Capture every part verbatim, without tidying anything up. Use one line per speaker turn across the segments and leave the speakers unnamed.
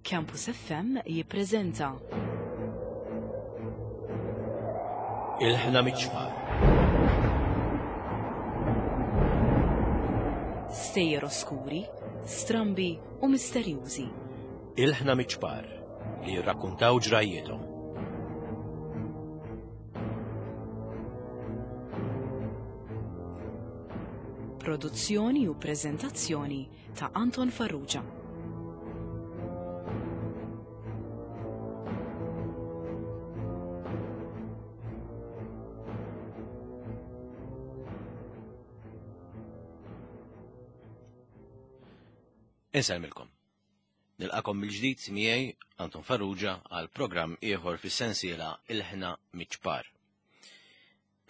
Campus F M jippreżenta
Ilħna Miċ-Ċpar.
Stejjer oskuri, strambi u misterjużi.
Ilħna Miċ-Ċpar li jirrakkuntaw ġrajjietom.
Produzzjoni u preżentazzjoni ta' Anton Farrugia.
Insellmilkom. Nilqakom mill-ġdid miegħi Anton Farrugia għal programm ieħor fis-sensiela Ilħna Miċ-Ċpar.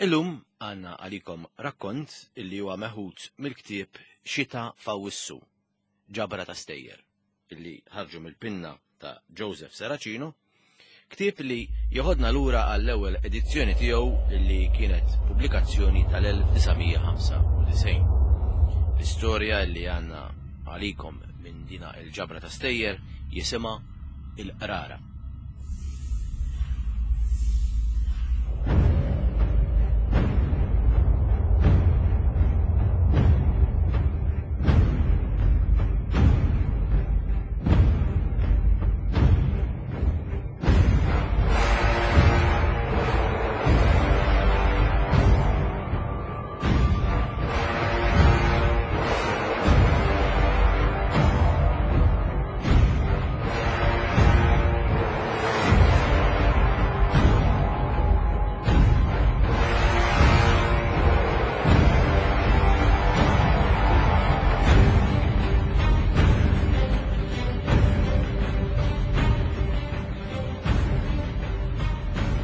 Illum għandna għalikom rakkont illi huwa meħud mill-ktieb Xita F'Awwissu, ġabra ta' stejjer, illi ħarġu mill-pinna ta' Joseph Serracino, ktieb li joħodna lura għall-ewwel edizzjoni tiegħu illi kienet pubblikazzjoni tal-elf disa' mija ħamsa u disgħin. L-istorja li għandna għalikom minn dina il-ġabra ta' stejjer jisimha Il-Qrara.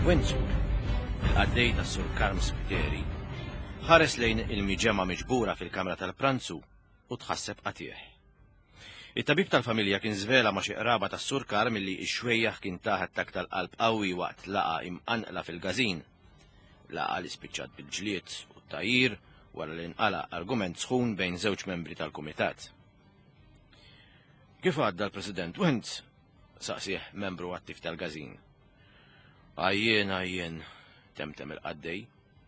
Wenzu, il-qaddej tas-Sur Karm Spiteri, ħares lejn il-miġemgħa miġbura fil-kamra tal-pranzu u tħasseb qatih. It-tabib tal-familja kien żvela ma' xi qraba tas-Sur Karm illi x-xwejjaħ kien tah attakk tal-qalb qawwi waqt laqa imqanqla fil-każin. Laqa li spiċċat bil-ġlied u t-tajjir wara li nqala argument sħun bejn żewġ membri tal-kumitat. Kif għadda l-President Wenz? Saqsih membru attiv tal-każin. Għajjien, għajjien, temtem il-qaddej,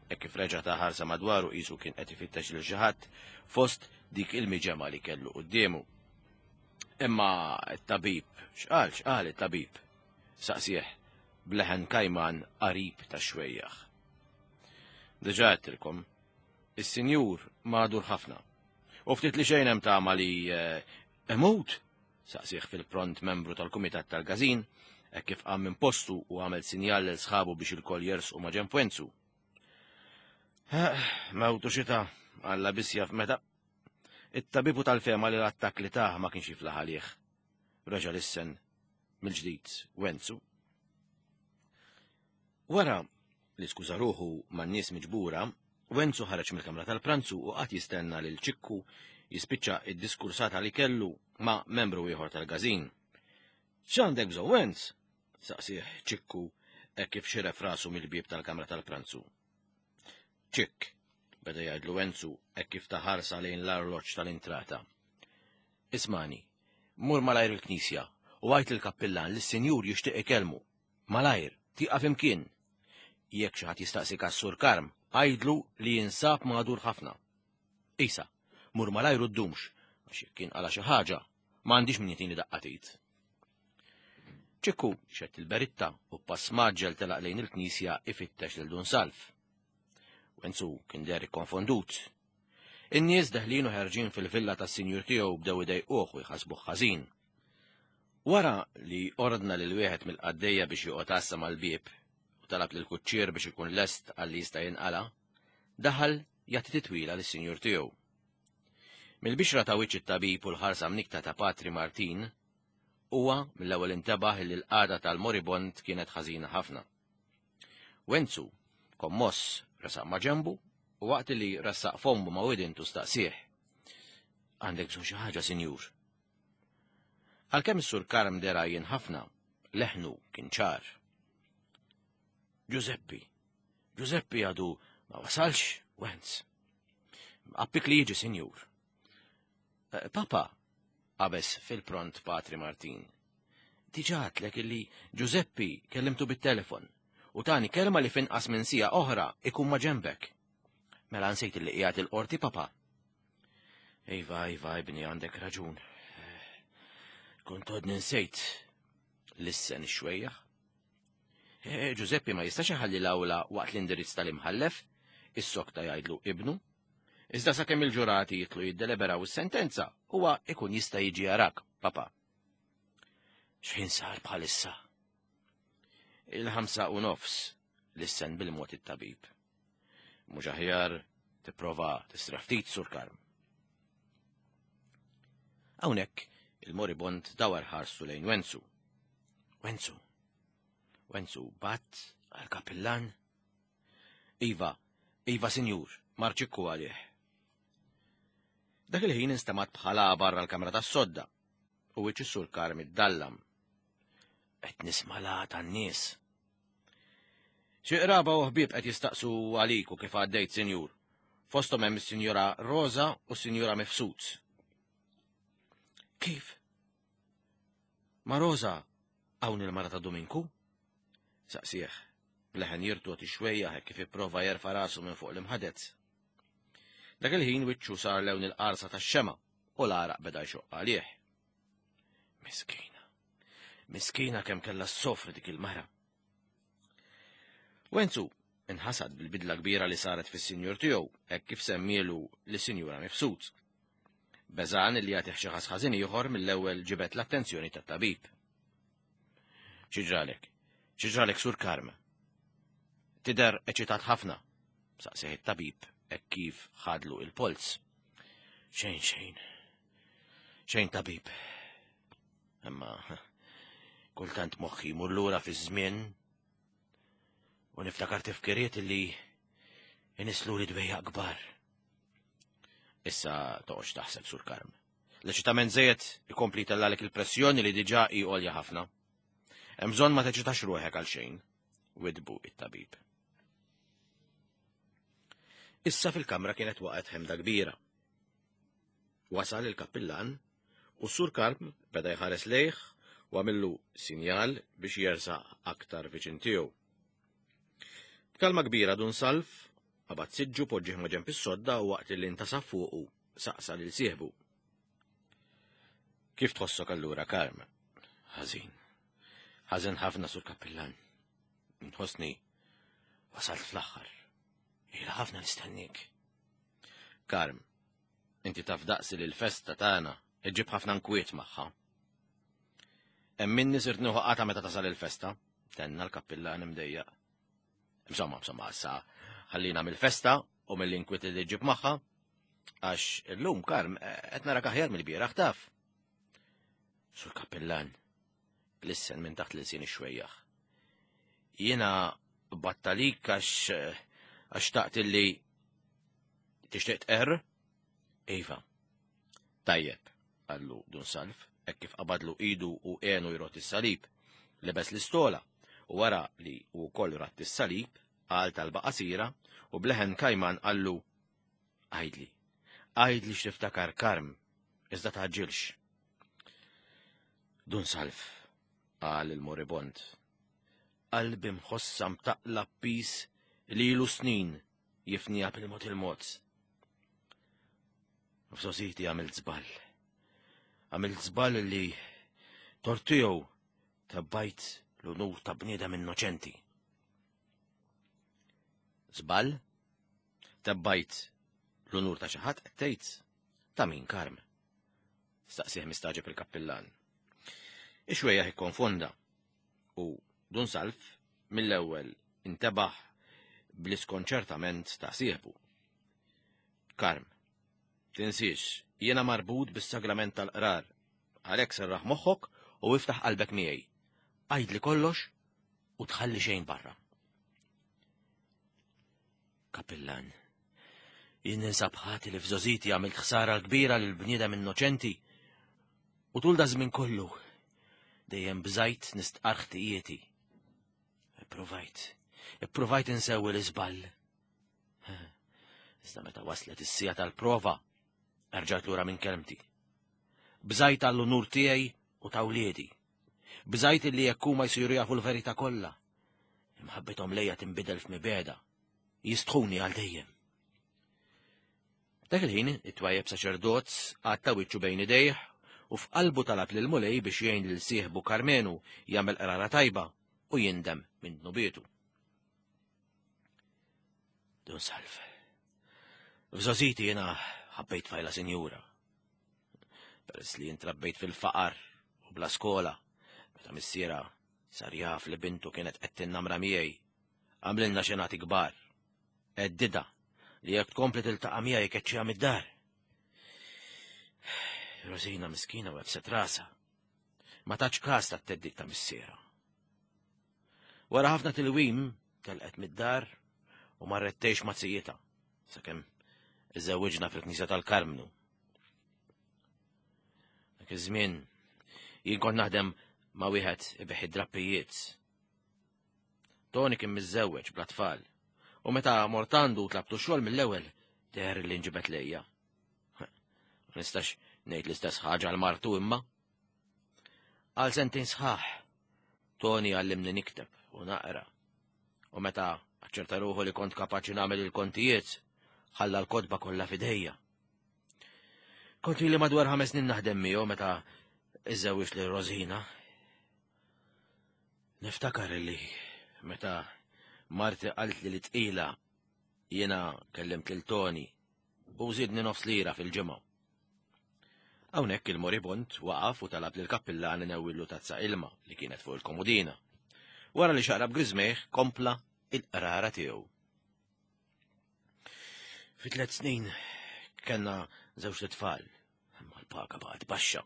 hekk kif reġa' ta' ħarsa madwaru qisu kien qed ifittex lil xi ħadd fost dik il-miġemgħa li kellu quddiemu. Imma t-tabib, x'qal, x'qal it-tabib? Saqsih bleħen kajman qarib ta' xwejjaħ. Diġà għedtilkom, is-sinjur magħdur ħafna. U ftit li xejn hemm tama li, eh, imut? Saqsih fil-pront membru tal-kumitat tal-każin, hekk kif qam minn postu u għamel sinjal lil sħabu biex il-koll jersqu ma' ġenb Wenzu. Mewtu xita, Alla biss jaf meta. It-tabibu tal-fema li l-attakk li tah ma kienx jiflaħ għalih. Reġa' lissen mill-ġdid Wenzu. Wara li skuża ruħu man-nies miġbura, Wenzu ħareġ mill-kamra tal-pranzu u qatt jistenna lil Ċikku jispiċċa id-diskursata li kellu ma' membru ieħor tal-każin. X'għandek bżonn, Wenz? Saqsih Ċikku hekk kif xiref rasu mill-bieb tal-kamra tal-pranzu. Ċikk, beda jgħidlu Wenzu hekk kif taħarsa lejn l-arloġġ tal-intrata. Ismani, mur malajr il-knisja u għajt il-kappillan li s-sinjur jixtieq ikellmu. Malajr, tieqaf imkien. Jekk xi ħadd jistaqsik għas-Sur Karm, għajdlu li jinsab magħdur ħafna. Isa, mur malajr u ddumx, għax jekk kien qala xi ħaġa, ma għandix min jitini daqqatit. Ċikku xett il-beritta u pass maġġel telaq lejn il-knisja ifittex lil Dun Salv. Wenzu kien deher ikkonfondut. In-nies deħlin u ħerġin fil-villa tas-sinjur tiegħu bdew idejquh u jħasbuh ħażin. Wara li ordna lil wieħed mill-qaddejja biex joqgħod għassa mal-bieb u talab lil kuċċier biex ikun lest għal li jista' jinqala, daħal jagħti titwila lis-sinjur tiegħu. Mill-bixra ta' wiċċ it-tabib u l-ħarsa mnikta ta' Patri Martin, huwa mill-ewwel intebaħ li l-qagħda tal-moribond kienet ħażina ħafna. Wenzu, kommoss, resaq ma' ġenbu u waqt li ressaq fommu ma' widintu staqsih. Għandek bżonn xi ħaġa, sinjur? Għalkemm is-Sur Karm dera jien ħafna, leħnu kien ċar. Giuseppi, Giuseppi għadu ma wasalx, Wenz. Appik li jiġi, sinjur. Eh, Papa, qabeż fil-pront Patri Martin. Diġà għedtlek illi Giuseppi kellimtu bit-telefon u tani kelma li f'inqas minn siegħa oħra ikun ma' ġembek. Mela nsejt illi qiegħed il-qorti, papa. Iva, iva, ibni, għandek raġun. Kont għodni nsejt. Lissen ix-xwejjaħ. Eh, Giuseppi ma jistax iħalli l-awla waqt l-indirizz tal-imħallef, issokta jgħidlu ibnu. Iżda sakemm il-ġurati jitlu jiddeliberaw is-sentenza, huwa ikun jista' jiġi jarak, papa. X'ħin sar bħalissa? Il-ħamsa u nofs, lissen bil-mod it-tabib. Mhux aħjar tipprova tistrieħ ftit, Sur Karm. Hawnhekk il-moribond dawar ħarstu lejn Wenzu. Wenzu, Wenzu bgħatt għal-kapillan? Iva, iva, sinjur, mar Ċikku għalih. Dak il-ħin instemgħet bħala barra l-kamra tas-sodda u wiċċ is-Sur Karm iddallam. Qed nisma' l tan-nies. Xi qraba u ħbieb qed jistaqsu għalik u kif għaddejt, sinjur. Fosthom hemm is-Sinjura Rosa u s-Sinjura Mifsud. Kif? Ma Rosa hawn il-mara ta' Dominku? Saqsieh, b'leħen jirtogħod ix-xwejjaħ kif ipprova jerfa' rasu minn fuq l-imħaded. Dak il-ħin wiċċu sar lewn il-qarsa tax-xema u l-għaraq beda jxoqq għalih. Miskina, miskina kemm kellha ssofri dik il-mara. Wenzu inħasad bil-bidla kbira li saret fis-sinjur tiegħu hekk kif semmielu lis-Sinjura Mifsud. Beżan li jagħtih xi ħass ħażin ieħor mill-ewwel ġibed l-attenzjoni tat-tabib. X'ġralek? X'ġralek, Sur Karm? Tidher eċitat ħafna, saqsieh it-tabib hekk kif ħadlu il-polz. Xejn, xejn. Xejn, tabib. Imma kultant moħħi jmur lura fiż-żmien u niftakar tifkiriet li inisslu li dwejjaq kbar. Issa toqgħodx taħseb, Sur Karm. L-eċitament żejjed ikompli jtellalek il-pressjoni li diġà hi għolja ħafna. Hemm bżonn ma teċitax ruħek għal xejn, widbu it-tabib. Issa fil-kamra kienet waqgħet ħemda kbira. Wasal il-kappillan u s-Sur Karm beda jħares lejh u għamillu sinjal biex jersaq aktar viċin tiegħu. B'kalma kbira Dun Salv qabad siġġu poġġih ma' ġenb is-sodda u waqt li intasab fuqu saqsa lil sieħbu. Kif tħossok allura, Karm? Ħażin. Ħażin ħafna, Sur Kappillan. Nħossni wasalt fl-aħħar. Ila ħafna nistennik. Karm, inti taf daqsi li l-festa tagħna iġġib ħafna nkwiet magħha. Hemm minni sirt nieħu qata meta tasal il-festa, tenna l-kappillan imdejjaq. Insomma, insomma, issa ħallina mill-festa u mill-inkwiet li ġib magħha, għax illum, Karm, qed narak aħjar mill-bieraħ, taf. Sur Kappillan, lissen minn taħt l-ilsien ix-xwejjaħ. Jiena bgħatt għalik għax għax xtaqt illi tixtieq tqerr? Iva. Tajjeb, qallu Dun Salv, hekk kif qabadlu idu u għenu jrodd is-salib, lebes l-istola u wara li u wkoll radd is-salib, qal talba qasira u b'leħen kajman qallu: Għidli, għidli x'tiftakar, Karm, iżda tgħaġġilx. Dun Salv, qal il-moribond, qalbi nħossha mtaqqla b'piż li ilu snin jifniha bil-mod il-mod. F'żgħożiti għamilt żball. Għamilt żball li tort tiegħu tebbajt l-unur ta' bniedem innoċenti. Żball? Tebbajt l-unur ta' xi ħadd qed tgħid? Ta' min, Karm? Staqsieh mistagħġeb il-kappillan. Ix-xwejjaħ ikkonfonda u Dun Salv mill-ewwel intebaħ bl-iskonċertament ta' sieħbu. Karm, tinsiex, jiena marbut bis-sagrament tal-qrar, għalhekk serraħ moħħok u iftaħ qalbek miegħi. Għidli kollox u tħalli xejn barra. Kappillan, jien ninsab ħati li f'żgħożiti għamilt ħsara kbira lil bniedem innoċenti u tul daż-żmien kollu dejjem bżajt nistqarr ħtijieti. Ippruvajt, ippruvajt insewwi l-iżball. Iżda meta waslet is-siegħa tal-prova, erġajt lura minn kelmti. Bżajt għall-unur tiegħi u ta' wliedi. Bżajt li jekk huma jsiru jafu l-verità kollha. Imħabbithom lejja tinbidel f'mibegħda. Jistħuni għal dejjem. Dak il-ħin, it-twajjeb saċerdot għatta wiċċu bejn idejh u f'qalbu talab lil Mulej biex jgħin lil sieħbu Karmenu jagħmel qrara tajba u jindem minn dnubietu. Dun Salv. F'żgħożiti jiena ħabbejt tfajla sinjura. Peress li intrabbejt fil-faqar u bla skola, meta missiera sar jaf li bintu kienet qed tinnamra miegħi, għamlilna xenati kbar. Għeddidha li jekk tkompli tiltaqa' miegħi jkeċċiha mid-dar. Rosina miskina webbset rasha. Ma tatx kas tat-theddid ta' missiera. Wara ħafna tilwim telqet mid-dar u marret tgħix ma' zijitha sakemm iżżewwiġna fil-Knisja tal-Karmnu. Dak iż-żmien jien kont naħdem ma' wieħed ibigħ id-drappijiet. Toni kien miżżewweġ bla tfal u meta mort għandu tlabtu xogħol mill-ewwel deher li nġibed lejja. Ma nistax ngħid l-istess ħaġa għal martu imma. Għal sentejn sħaħ Toni għallimni nikteb u naqra. U meta aċċerta ruħu li kont kapaċi nagħmel il-kontijiet, ħalla l-kotba kollha f'idejja. Kont ili madwar ħames snin naħdem miegħu meta iżżewwiġt lil Rosina. Niftakar li meta marti qaltli li tqila jiena kellimt lil Toni u żidni nofs lira fil-ġimgħa. Hawnhekk il-moribond waqaf u talab lil kappillan inewwillu tazza ilma li kienet fuq il-komodina. Wara li xarab griżmejh kompla il-qrara tiegħu. Fi tliet snin kellna żewġ tfal, imma l-paga baqgħet baxxa.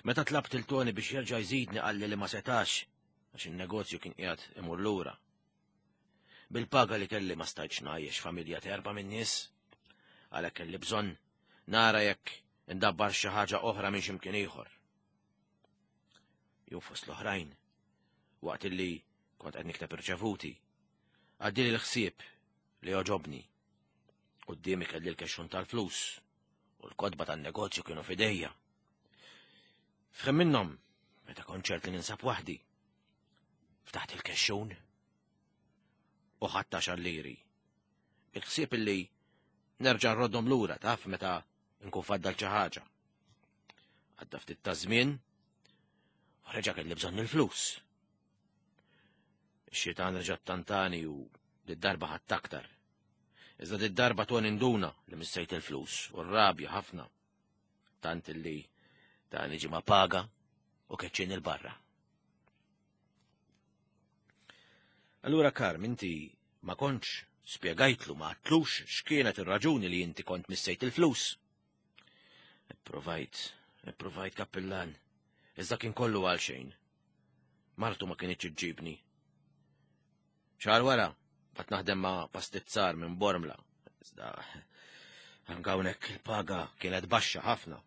Meta tlabt lil Toni biex jerġa' jżidni qalli li ma setax għax in-negozju kien qiegħed imur lura. Bil-paga li kelli ma stajtx ngħajjex familja ta' erba' min-nies, għalhekk kelli bżonn nara jekk indabbar xi ħaġa oħra minn x'imkien ieħor. Jew fost l-oħrajn, waqt illi kont qed nikteb irċevuti, għaddieli l-ħsieb li għoġobni. Quddiemi kelli l-kexxun tal-flus u l-kotba tan-negozju kienu f'idejja. F'ħin minnhom, meta kont ċert li ninsab waħdi, ftaħt il-kexxun u ħadt għaxar liri. Il-ħsieb illi nerġa' nroddhom lura taf meta nkun faddal xi ħaġa. Għadda ftit ta' żmien u reġa' kelli bżonn il-flus. Ix-xitan reġa' ttantani u did-darba ħadt aktar. Iżda did-darba Toni nduna li missejt il-flus u rrabja ħafna. Tant illi tani ġimgħa paga u keċċini 'l barra. Allura Karm, inti ma kontx spjegajtlu, ma għadtlux x'kienet ir-raġuni li inti kont missejt il-flus. Ipprovajt, ipprovajt kappillan, iżda kien kollu għal xejn. Martu ma kinitx iġġibni. Xahar wara, bqajt naħdem ma' pastizzar minn Bormla, iżda anke hawnhekk il-paga kienet baxxa ħafna.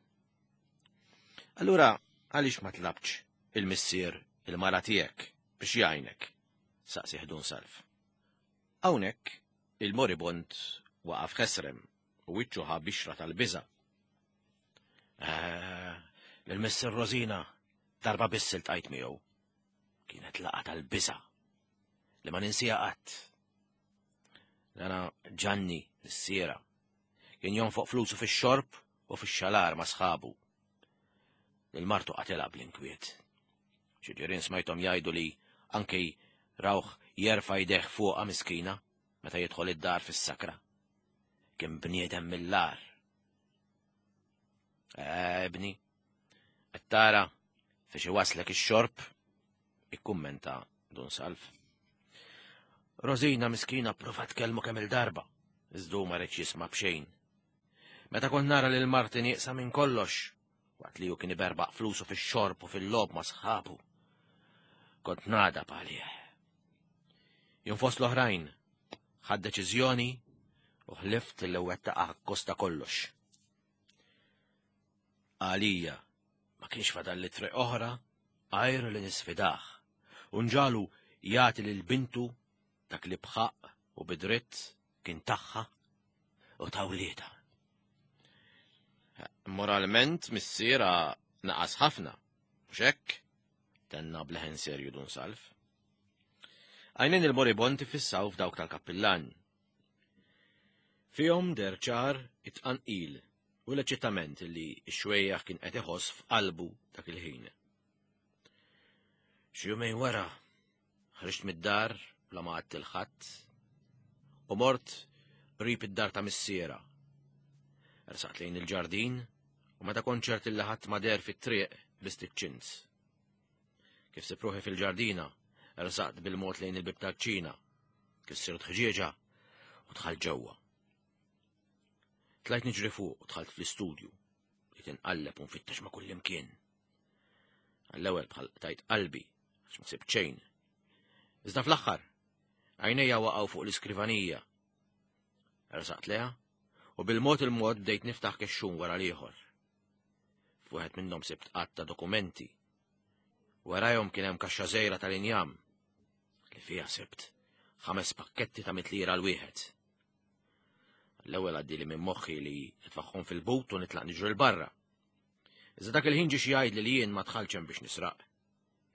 Allura għaliex ma tlabtx il-missier il-mara tiegħek biex jgħinek? Saqsieh Dun Salv. Hawnhekk il-moribond waqaf ħesrem u wiċċu ħa bixra tal-biża'. Eh, Lil-missier Rosina darba biss iltqajt miegħu. Kienet laqgħa tal-biża' li ma ninsieha qatt. Dana Ġanni missiera kien jonfoq flusu fix-xorb u fix-xalar ma' sħabu. Lil martu qatilha bl-inkwiet. Xi ġirien smajthom jgħidu li anke rawh jerfa' jdejh fuqha miskina meta jidħol id-dar fis-sakra. Kien bniedem mill-agħar. Eh, ibni, qed tara fiex iwaslek ix-xorb, ikkummenta Dun Salv. Rosina miskina pprovat tkellmu kemm il-darba, iżda hu ma riedx jisma' b'xejn. Meta kont nara lil marti nieqsa minn kollox, waqt li hu kien iberbaq flusu fix-xorb u fil-logħob ma' sħabu, kont nagħdab għalih. Jum fost l-oħrajn, ħadt deċiżjoni u ħlift li wettaqha akkost ta' kollox. Għalija ma kienx fadalli triq oħra għajr li nisfidah u nġagħlu jagħti lil bintu dak li b'ħaqq u bidritt kien tagħha u ta' wliedha. Moralment missiera naqas ħafna, mhux hekk? Tenna bleħen serju Dun Salv. Għajnejn il-moribond ifissaw f'dawk tal-kappillan. Fihom deher ċar it-tqanqil u l-eċitament li x-xwejjaħ kien qed iħoss f'qalbu dak il-ħin. Xi jumejn wara, ħriġt mid-dar bla ma għedt lil ħadd u mort qrib id-dar ta' missiera. Ersaqt lejn il-ġardin u meta kont ċert li ħadd ma deher fit-triq lbist iċ-ċins. Kif sibt ruħi fil-ġardina, ersaqt bil-mod lejn il-bib tal-kċina, kissirt ħġieġa u dħalt ġewwa. Tlajt niġri fuq u dħalt fl-istudju, li tinqalleb u nfittex ma' kullimkien. Għall-ewwel bħal qtajt qalbi, għax ma sibt xejn. Iżda fl-aħħar, għajnejja waqgħu fuq l-iskrivanija. Ersaqt lejha u bil-mod il-mod bdejt niftaħ kexxun wara l-ieħor. F'wieħed minnhom sibt għadd ta' dokumenti. Warajhom kien hemm kaxxa żgħira tal-injam li fiha sibt ħames pakketti ta' mitt lira l-wieħed. L-ewwel għaddieli minn moħħi li nitfagħhom fil-but u nitlaq niġri 'l barra. Iżda dak il-ħin ġie xi jgħidli li jien ma dħaltx hemm biex nisraq.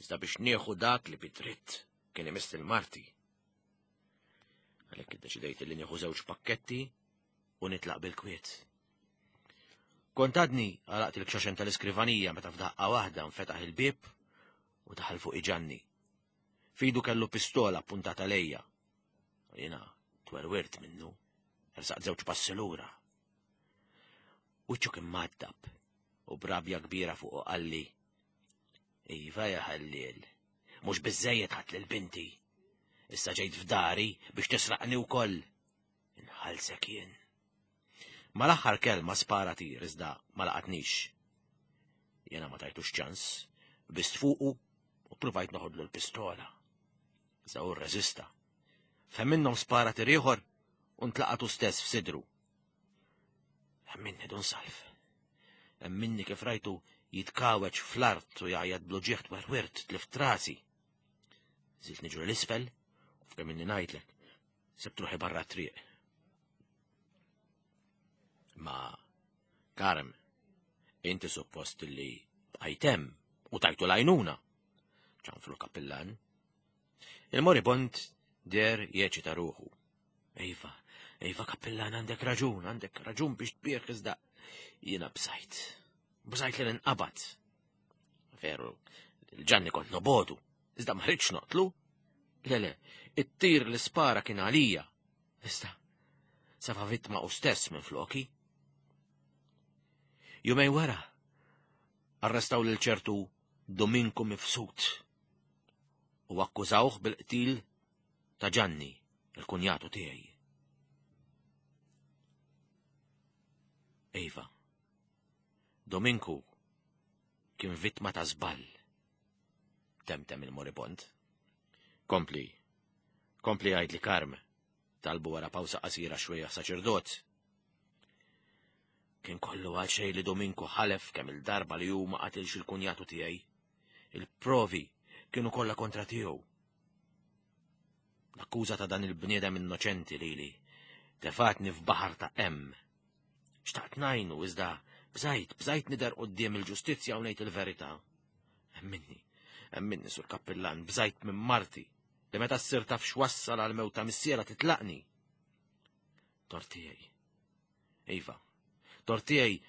Iżda biex nieħu dak li bi dritt kien imiss lil marti. Għalhekk iddeċidejt li nieħu żewġ pakketti u nitlaq bil-kwiet. Kont għadni għalaqt il-kxaxen tal-iskrivanija meta f'daqqa waħda nfetaħ il-bieb u daħal fuqi Ġanni. F'idu kellu pistola puntata lejja. U jiena twerwirt minnu, ersaqt żewġ passi lura. Wiċċu kien mgħaddab u b'rabja kbira fuqu qalli. Iva ja ħalliel, mhux biżżejjed ħadt lil binti. Issa ġejt f'dari biex tisraqni wkoll. Inħallsek jien. Mal-aħħar kelma spara tir iżda ma laqatnix. Jiena ma tajtux ċans, qbiżt fuqu u provajt noħodlu l-pistola. Iżda hu rreżista. F'ħin minnhom spara tir ieħor u ntlaqat hu stess f'sidru. Emminni Dun Salv. Emminni kif rajtu jitkaweċ fl-art u jgħajjat bl-uġigħ twerwirt tlift rasi. Nżilt niġri 'l isfel u f'kemm ilni ngħidlek, sibt ruħi barra triq. Ma, Karm, inti suppost li bqajt hemm u tajtu l-għajnuna. Ċanfru l-kappillan. Il-moribond deher jeċita ruħu. Iva, iva kappillan għandek raġun, għandek raġun biex tbierk iżda jiena bżajt. Bżajt li ninqabad. Veru, lil Ġanni kont nobogħdu, iżda ma ridtx noqtlu. Le, le, it-tir li spara kien għalija. Iżda, safa vittma hu stess minn floki. Jumejn wara, arrestaw lil ċertu Dominku Mifsud u akkużawh bil-qtil ta' Ġanni, il-kunjatu tiegħi. Iva, Dominku kien vittma ta' żball. Temtem il-moribond. Kompli, kompli għidli Karm, talbu wara pawsa qasira xwejjaħ saċerdot. Kien kollu għal xejn li Dominku ħalef kemm il-darba li hu ma qatilx il-kunjatu tiegħi. Il-provi kienu kollha kontra tiegħu. L-akkuża ta' dan il-bniedem innoċenti lili tefatni f'baħar ta' hemm. Xtaqt ngħinu iżda bżajt, bżajt nidher quddiem il-ġustizzja u ngħid il-verità. Emminni, emminni sur kappillan, bżajt minn marti li meta ssir taf x'wassal għal mewt ta' missiera titlaqni. Tort tiegħi. Iva, tort tiegħi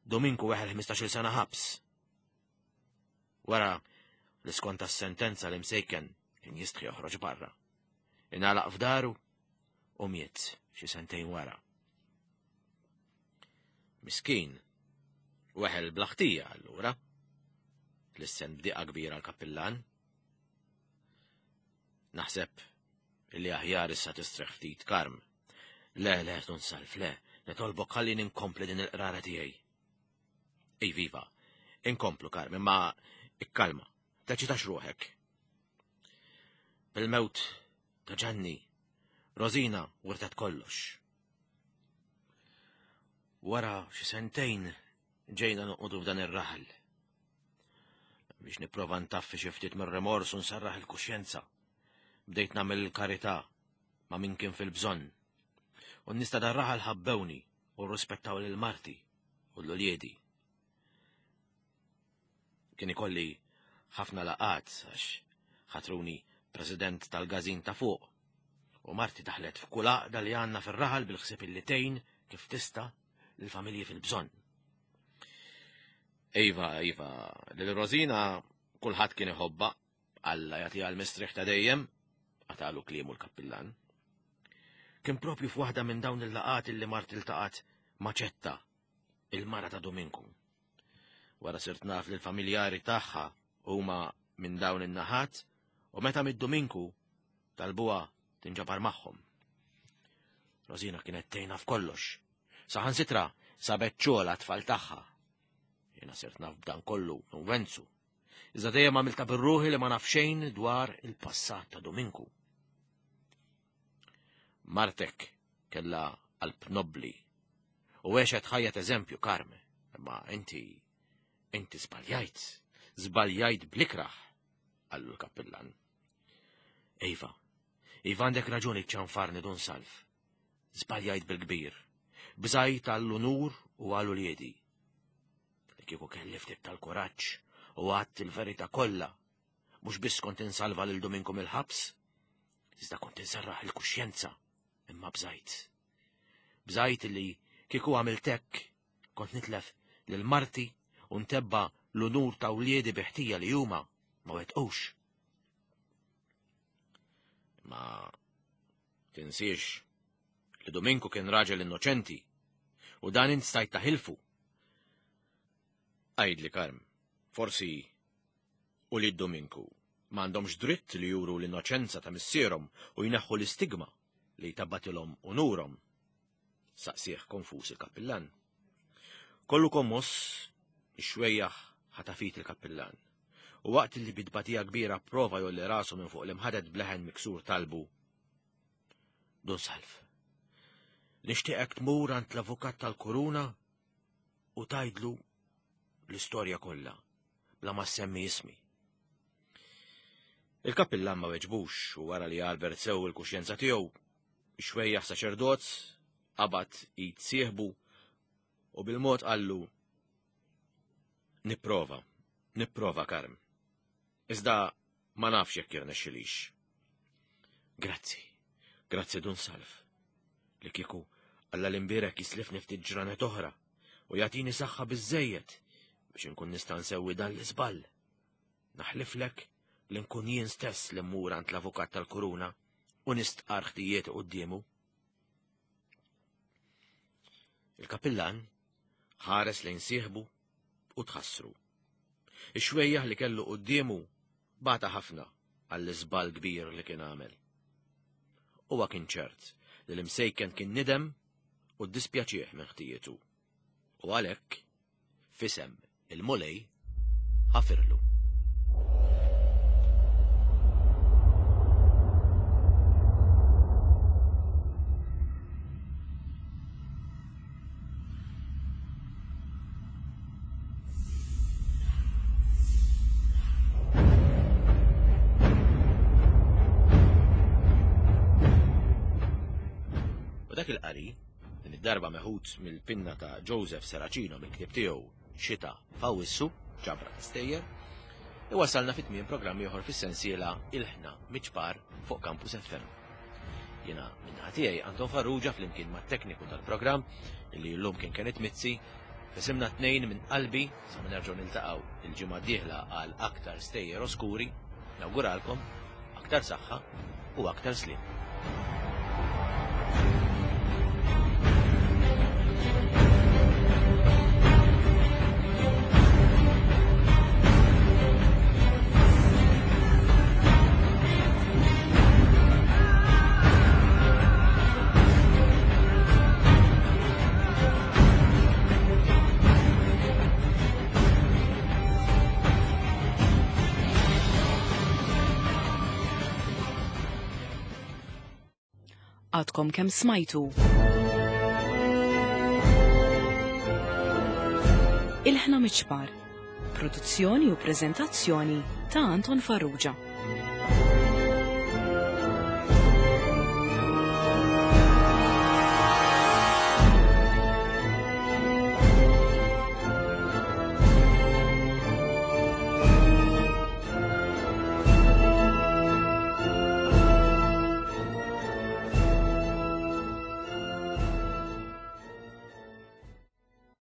Dominku weħel ħmistax-il sena ħabs. Wara li skonta s-sentenza l-imsejken kien jistħi joħroġ barra. Ingħalaq f'daru u miet xi sentejn wara. Miskin, weħel bla ħtija allura. Lissen b'diqa kbira l-kappillan. Naħseb illi aħjar issa tistrieħ ftit Karm. Le, le, Dun Salv, le, nitolbok ħalli ninkompli din il-qrara tiegħi. Ej, viva, inkomplu Karm, imma ikkalma, teċitax ruħek. Bil-mewt ta' Ġanni, Rosina wirtet kollox. Wara xi sentejn ġejna noqogħdu f'dan ir-raħal. Biex nipprova ntaffi xi ftit mir-remors u nsarraħ il-kuxjenza. Bdejt nagħmel il-karità ma' min kien fil-bżonn. U n-nies ta' dar-raħal ħabbewni u rrispettaw lil marti u l-uliedi. Kien ikolli ħafna laqgħat għax ħatruni president tal-gazin ta' fuq. U marti daħlet f'kull għaqda li għandna fir-raħal bil-ħsieb illi tgħin kif tista' lill-familji fil-bżonn. Iva, iva, lil Rosina kulħadd kien iħobbha, Alla jagħtiha l-mistrieħ ta' dejjem, qatalu kliemu l-kappillan. Kien propju f'waħda minn dawn il-laqgħat illi marti iltaqgħet ma' Ċetta, il-mara ta' Dominku. Wara sirt naf li l-familjari tagħha huma minn dawn in-naħat u meta mid-Dominku talbuha tinġabar magħhom. Rosina kienet tgħinha f'kollox. Saħansitra sabet xogħol għat-tfal tagħha. Jiena sirt naf b'dan kollu minn Wenzu. Iżda dejjem għamilta bir-ruħi li ma naf xejn dwar il-passat ta' Dominku. Martek kellha qalb nobbli u għexet ħajja eżempju, Karm, imma inti inti żbaljajt, żbaljajt bl-ikrah, qallu l-kappillan. Iva, iva għandek raġuni ċanfarni Dun Salv. Żbaljajt bil-kbir, bżajt għall-unur u għal uliedi. Li kieku kelli ftit tal-kuraġġ u għadt il-verità kollha, mhux biss kont insalva lil Dominku mill-ħabs, iżda kont inserraħ il-kuxjenza, imma bżajt. Bżajt li kieku għamilt hekk, kont nitlef lil marti u ntebba l-unur ta' wliedi bi ħtija li huma ma wettqux. Ma tinsiex li Dominku kien raġel innoċenti u dan int stajt taħilfu. Għidli, Karm, forsi ulied Dominku m'għandhomx dritt li juru l-innoċenza ta' missierhom u jneħħu l-istigma li tabbatilhom unurhom. Saqsieħ konfus il-kappillan. Kollu kommoss, ix-xwejjaħ ħatafit il-kappillan. U waqt li bidbatija kbira prova jolli rasu minn fuq l-imħadet bleħen miksur talbu. Dun Salv, nixtieqek tmur għand l-avukat tal-kuruna u tajdlu l-istorja kollha bla ma semmi ismi. Il-kappillan ma weġbux u wara li Albert sew il-kuxjenza tiegħu, ix-xwejjaħ saċerdot qabad id sieħbu u bil-mod qallu: Nipprova, nipprova, Karm. Iżda ma nafx jekk jirnexxilix. Grazzi, grazzi Dun Salv. Li kieku Alla l-imbierek jislifni ftit ġranet oħra u jagħtini saħħa biżżejjed biex inkun nista' nsewwi dan l-iżball. Naħliflek li nkun jien stess li mmur għand l-avukat tal-kuruna u nistqar ħtijiet quddiemu. Il-kappillan ħares lejn sieħbu u tħassru. Ix-xwejjaħ li kellu quddiemu bata ħafna għall-iżball kbir li kien għamel. Huwa kien ċert li l-imsejken kien nidem u ddispjaċih minn ħtijietu. U għalhekk fisem il-Mulej ħafirlu. U dak il-qari, din id-darba meħud mill-pinna ta' Joseph Serracino mill-ktieb tiegħu Xita F'Awwissu, ġabra ta' stejjer, iwasalna fit tmiem programm ieħor fis-sensiela Ilħna Miċpar fuq Campus F M. Jiena minnaħa tiegħi Anton Farrugia flimkien mat-tekniku tal-programm illi llum kien Kenneth Mizzi, fisimna tnejn minn qalbi sa ma nerġgħu niltaqgħu il-ġimgħa d-dieħla għal aktar stejjer oskuri, nawguralkom aktar saħħa u aktar sliem.
Għadkom kemm smajtu. Ilħna Miċpar, produzzjoni u preżentazzjoni ta' Anton Farrugia.